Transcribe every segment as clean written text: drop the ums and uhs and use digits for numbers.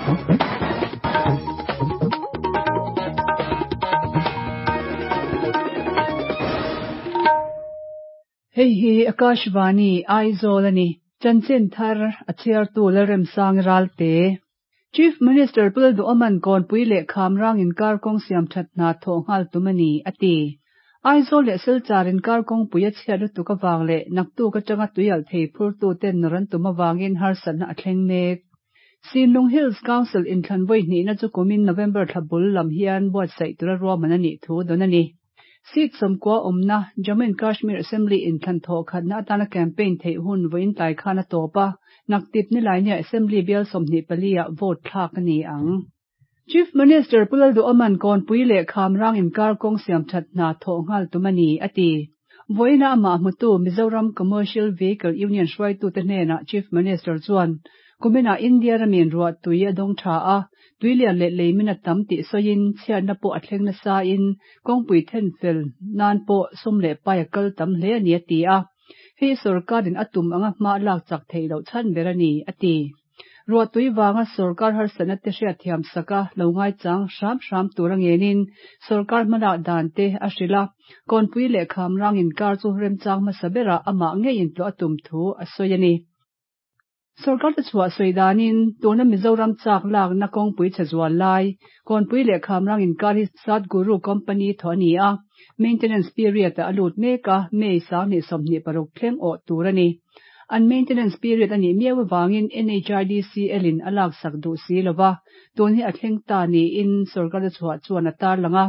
Hei hi Akashvani, Aizawl a ni. Chanchin thar a chhiartu Lalremsang Ralte. Chief Minister Pu Lalduhoma'n Kawnpui leh Khamrang inkar kawng siam that hna thawh nghal tum a ni, a ti. Aizawl leh Silchar inkar kawngpui a chhiat lutuk avang leh naktuk atanga tuialh thei phurtuten nawr an tum avangin harsatna a thleng mek. Sinlung Hills Council inthlan vawi hnihna chu kumin November thla bul lam hian buatsaih tura ruahman a nih thu dawn a ni. Seat 90 awmna Jammu and Kashmir Assembly inthlan thawh khatna atana campaign theih hun vawiin tlai khan a tawp a, naktip nilainiah Assembly bial 24 ah vote thlak a ni ang. Chief Minister Pu Lalduhoma'n Kawnpui leh Khamrang inkar kawng siam that hna thawh nghal tum a ni, a ti. Vawiina amah hmutu Mizoram Commercial Vehicle Union hruaitute hnenah Chief Minister chuan kuminah India ramin ruah tui a dawng tha a, tuilian leh leimin a tam tih sawiin chhiatna pawh a thleng nasain kawngpui then fel nan pawh sum leh pai a kal tam hle a ni a ti a. Hei sorkarin a tum anga hma lak chak theih loh chhan ber a ni, a ti. Ruahtui vanga sorkar harsatna te hriatthiam saka lo ngaichang hram hram tur a ngenin sorkar hmalak dan te a hrilh a, Kawnpui leh Khamrang inkar chu remchang hmasa berah amah ngeiin tlawh a tum thu a sawi a ni. Sorkar te chhuah sawi danin tuna Mizoram chak lakna kawngpui chhe zual lai, Kawnpui leh Khamrang inkar hi Satguru Company thaw a ni a, maintenance period-ah a lut mek a, May 2026 thleng awh tur a ni. An maintenance period a nih miau avangin NHIDCL in a laksak duh si lova, tun hi a thleng ta niin sorkar a chhuah chuan a tarlang a.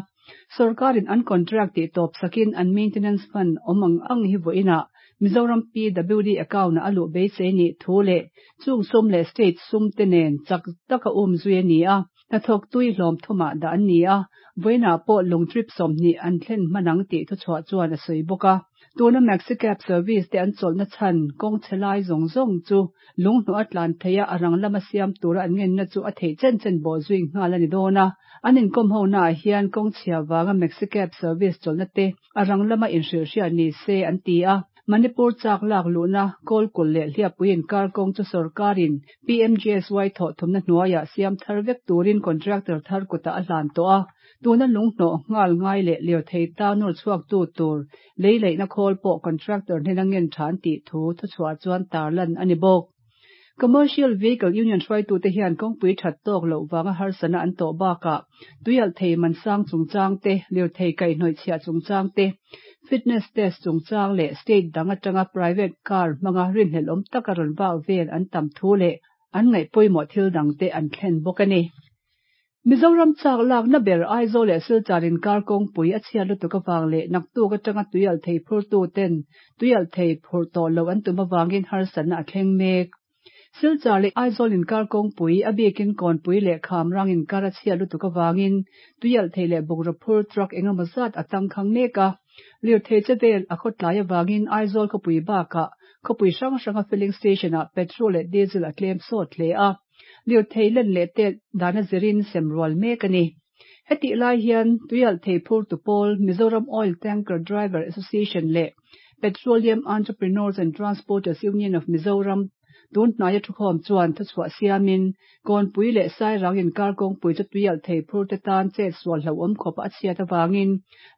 Sorkarin an contract tih tawp sakin an maintenance fund awm ang ang hi vawiinah Mizoram PWD account-ah a luh beisei nih thu leh chung sum leh state sum te nen chak taka um zui a ni a. Hnathawk tui hlawm thumah dah an ni a, vawiinah pawh lung trip 20 an thlen hman ang tih thuchhuah chuan a sawi bawk a. Tuna Maxicab service te an chawlhna chhan kawng chhe lai zawng zawng chu lung hnawh a tlan theih a, a rang lama siam tura an ngenna chu a theih chen chen bawh zui nghal a ni dawn a. An inkawm honaah hian kawng chhia vanga Maxicab service chawlhna te a rang lama inhrilhhriat ni se an ti a. Manipur chak lak luhna Kawlkulh leh Hliappui inkar kawng chu sorkarin PMGSY thawh thumna hnuaiah siam thar vek turin contractor thar kutah a hlan tawh a, tuna lunghnawh nghal ngai leh lirthei ta nawr chhuaktu tur lei leihna khawl pawh contractor hnena ngen tha an tih thu thuchhuah chuan tarlan a ni bawk. Commercial Vehicle Union hruaitute hian kawngpui that tawk loh vanga harsatna an tawh bakah tuialh thei man sang chungchang te, lirthei kaihhnawih chhiah chungchang te, fitness test chungchang leh state dang atanga private car hmanga rinhlelh awm taka rawn vak vel an tam thu leh an ngaih pawimawh thil dangte an thlen bawk a ni. Mizoram chak lakna ber Aizawl leh Silchar inkar kawngpui a chhiat lutuk avang leh naktuk atanga tuialh thei phurtu ten tuialh thei phurh tawh loh an tum avangin harsatna a thleng mek. Silchar leh Aizawl inkar kawngpui, a bikin Kawnpui leh Khamrang inkar a chhiat lutuk avangin tuialh thei leh bungraw phur truck engemaw zat a tangkhang mek a. Lirthei che vel a khawtlai avangin Aizawl khawpui bakah khawpui hrang hranga filling station-ah petrol leh diesel a tlem sawt hle a. Lirthei len leh tet dana zirin sem rual mek a ni. Hetih lai hian tuialh thei phurtu pawl Mizoram Oil Tanker Driver Association leh Petroleum Entrepreneurs and Transporters Union of Mizoram tun hnaia thukhawm chuan thuchhuah siamin Kawnpui leh Sairang inkar kawngpui chu tuialh thei phurte tan chet sual hlauhawm khawp a chhiat avangin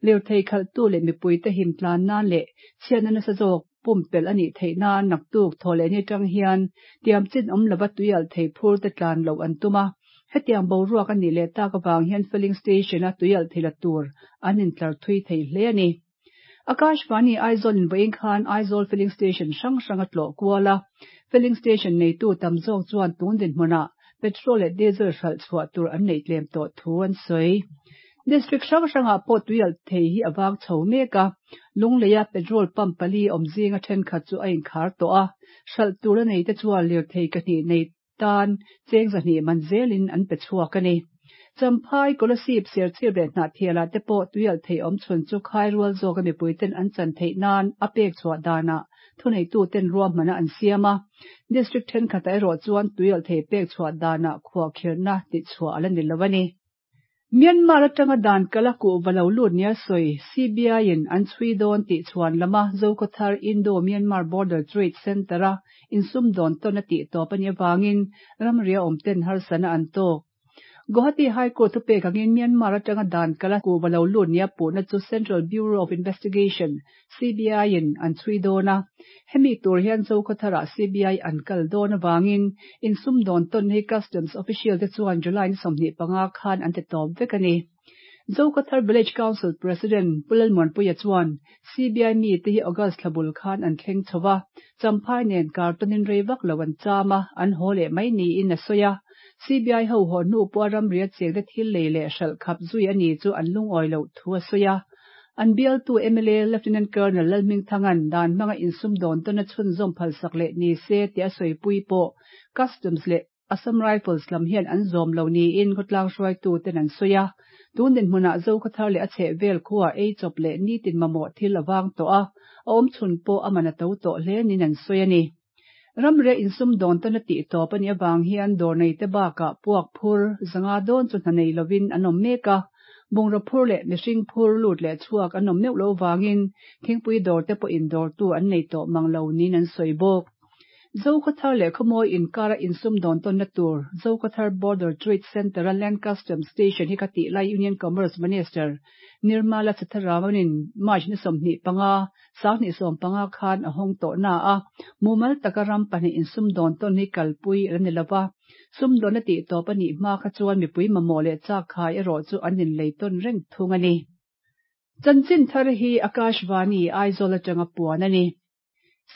lirthei khalhtu leh mipuite him tlan nan leh chhiatna nasa zawk pumpelh a nih theih nan naktuk thaw leh ni atang hian tiam chin awm lova tuialh thei phur te tlan loh an tum a. Hetiang boruak a nih leh tak avang hian filling station-a tuialh thei la tur an intlar thui thei hle a ni. Akashvani Aizawl in vawiin khan Aizawl filling station hrang hrang a tlawh kual a. Filling station neitu tam zawk chuan tun dinhmunah petrol leh diesel hralh chhuah tur an neih tlem tawh thu an sawi. District hrang hrangah pawh tuialh thei hi a vang chho mek a, Lungleia petrol pump pali awm zinga thenkhat chu a inkhar tawh a, hralh tur a neite chuan lirthei kahnih nei tan cheng 200 man zelin an pe chhuak a ni. Champhai, Kolasib, Serchhip leh Hnahthialah te pawh tuialh thei awm chhun chu khairual zawka mipuiten an chan theih nan a pek chhuah danah thuneituten ruahmana an siam a, District thenkhatah erawh chuan tuialh thei pek chhuah danah khuahkhirhna tihchhuah a la ni lo a ni. Myanmar atanga dan kala kuhva lo lut nia sawi CBI-in an chhui dawn tih chhuan lama Zokhawthar Indo-Myanmar Border Trade Centre-a insumdawn tawn a tih tawp a nih avangin ramria awmten harsana an tawk. Guwahati High Court thupek angin Myanmar atanga dan kala kuhva lo lut nia puhna chu Central Bureau of Investigation, CBI, in an chhui dawn a. Hemi tur hian Zokhawtharah CBI an kal dawn avangin insumdawn tawn hi Customs official te chuan July ni 25 khan an ti tawp vek a ni. Zokhawthar Village Council President Pu Lalmuanpuia chuan CBI mite hi August thla bul khan an thleng chho va, Champhai nen kartawnin rei vak lo an cham a, an haw leh mai niin a sawi a. CBI ho haw hnu pawha ramria chengte thil lei leh hralh khap zui a ni chu an lungawi loh thu a sawi a. An bialtu mla Lieutenant Colonel Lalhmingthanga'n dan hmanga insumdawn tawna chhunzawm phalsak leh ni se tih a sawipui pawh Customs leh Assam Rifles lam hian an zawm lo niin khawtlang hruaituten an sawi a. Tun dinhmunah Zokhawthar leh a chhehvel khuaah ei chawp leh nitin mamawh thil a vang tawh a, a awmchhun pawh a man a to tawh hle niin an sawi a ni. Ramria insumdawn tawna tih tawp a nih avang hian dawr neite bakah puak phur zanga dawn chu hna nei lovin an awm mek a, bungraw phur leh mihring phur lut leh chhuak an awm meuh lo vangin thingpui dawrte pawhin dawrtu an nei tawh mang lo niin an sawi bawk. Zokhawthar leh Khawmawi inkara insumdawn tawnna tur Zokhawthar Border Trade Centre-a Land Customs Station hi ka tih lai Union Commerce Minister Nirmala Sitharaman-in March ni 25, 2015 khan a hawng tawh na a, mumal taka ram pahnih insumdawn tawn hi kalpui a la ni lo va. Sumdawnna tih tawp a nih hma kha chuan mipui mamawh leh chakkhai erawh chu an inlei tawn reng thung a ni. Chanchin thar hi Akashvani, Aizawl atanga puan a ni.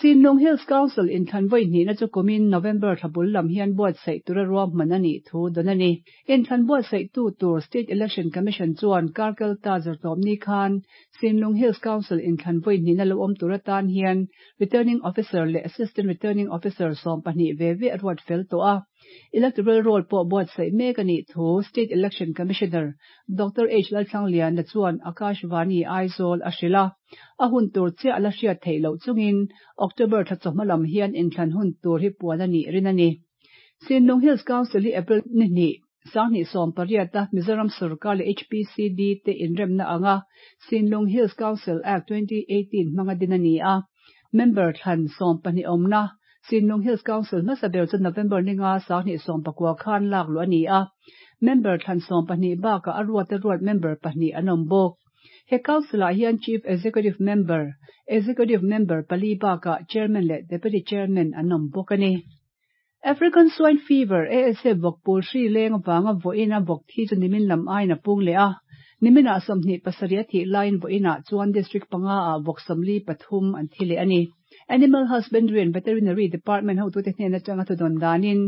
Sinlung Hills Council inthlan vawi hnihna chu kumin November thla bul lam hian buatsaih tura ruahman a nih thu dawn a ni. Inthlan buatsaihtu tur State Election Commission chuan Karkalta zirtawpni khan Sinlung Hills Council inthlan vawi hnihna lo awm tur atan hian Returning Officer leh Assistant Returning Officer 12 ve ve a ruat fel tawh a. Electoral Roll pawh buatsaih mek a nih thu State Election Commissioner Doctor H Lalthlangliana chuan Akashvani Aizawl a hrilh a. A hun tur chiah a la hriat theih loh chungin October thla chawhma lam hian inthlan hun tur hi puan a nih rin a ni. Sinlung Hills Council hi April ni hnih, 2018 a Mizoram Sorkar leh HPCD te inremna anga Sinlung Hills Council Act 2018 hmanga din a ni a. Member thlan 12 awmna Sinlung Hills Council hmasa ber chu November ni nga 2019 khan lak luh a ni a. Member thlan 12 bakah a ruata ruat member pahnih an awm bawk. He Council-ah hian Chief Executive Member, Executive Member pali bakah Chairman leh Deputy Chairman an awm bawk a ni. African Swine Fever, ASF, vawkpul hri leng avanga vawiina vawk thi chu nimin lam aiin a pung leh a. Niminah 27 a thih laiin vawiinah chuan District panga ah vawk 43 an thi leh a ni. Animal Husbandry and Veterinary Department hotute hnen atanga thudawn danin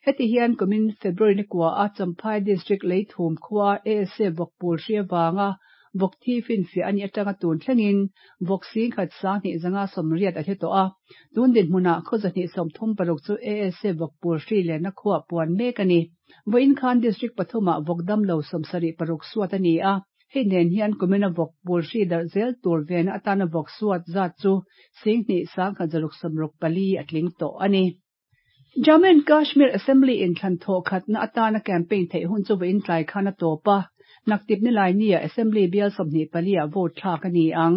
heti hian kumin February ni kua a Champhai District Leithum khua ASF vawkpul hri avanga vawk thi finfiah a nih atanga tun thlengin vawk singkhat 2580 a thi tawh a. Tun dinhmunah khaw 236 chu ASF vawkpul hri lenna khuah puan mek a ni. Vawiin khan District pathumah vawk damlo 76 suat a ni a. Hei nen hian kumina vawk pul hri darh zel tur vena atana vawk suat zat chu 21,164 a tling tawh a ni. Jammu and Kashmir Assembly inthlan thawh khatna atana campaign theih hun chu vawiin tlai khan a tawp a, naktip ni lai nia Assembly bial 24 ah vote thlak a ni ang.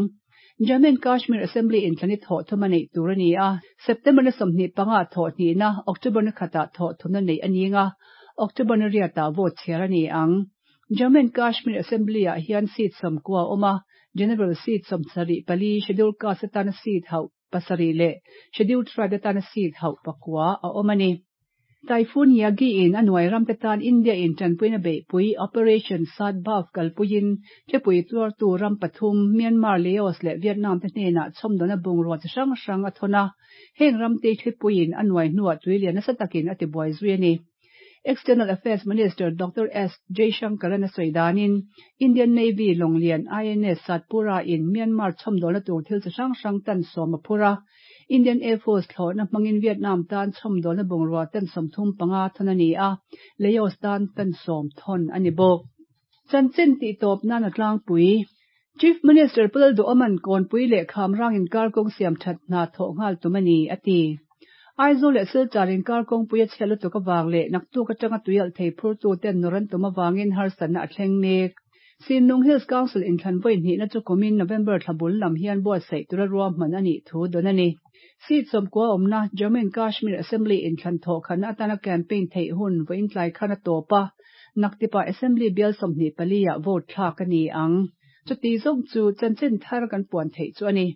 Jammu and Kashmir Assembly inthlan hi thawh thum a neih tur a ni a, September ni 25 ah thawh hnihna, October ni khatah thawh thumna neih a ning a, October ni riatah vote chhiar a ni ang. Jammu and Kashmir Assembly ah hian seat 90 a awm a, General seat 74, Scheduled Caste atana seat hauh pasarih leh Scheduled Tribe atana seat hauh pakua a awm a ni. Typhoon Yagi in a nuai ramte tan India in tanpuina beihpui Operation Sadbhav kalpuiin thlipui tuartu ram pathum Myanmar, Laos leh Vietnam te hnenah chhawmdawna bungrua chi hrang hrang a thawn a, heng ramte thlipuiin a nuai hnuah tuilian nasa takin a tibuai zui a ni. External Affairs Minister Doctor S Jaishankar a sawi danin Indian Navy Longlian INS Satpura in Myanmar chhawmdawlna tur thil chi hrang hrang tan sawm a phur a. Indian Air Force thlawhna hmangin Vietnam tan chhawmdawlna bungrua tan 35 thawn a ni a, Laos tan tan 10 thawn a ni bawk. Chanchin tih tawp nan a tlangpui. Chief Minister Pu Lalduhoma'n Kawnpui leh Khamrang inkar kawng siam that hna thawh nghal tum a ni, a ti. Aizawl leh Silchar inkar kawngpui a chhiat lutuk avang leh naktuk atanga tuialhthei phurtu ten nawrh an tum avangin harsatna a thleng mek. Sinlung Hills Council inthlan vawi hnihna chu kumin November thla bul lam hian buatsaih tura ruahman a nih thu dawn a ni. Seat 90 awmna Jammu and Kashmir Assembly inthlan thawhkhatna atana campaign theih hun vawiin tlai khan a tawp a, naktipah Assembly bial 24 ah vote thlak a ni ang. Chuti zawng chu chanchin thar kan puan theih chu a ni.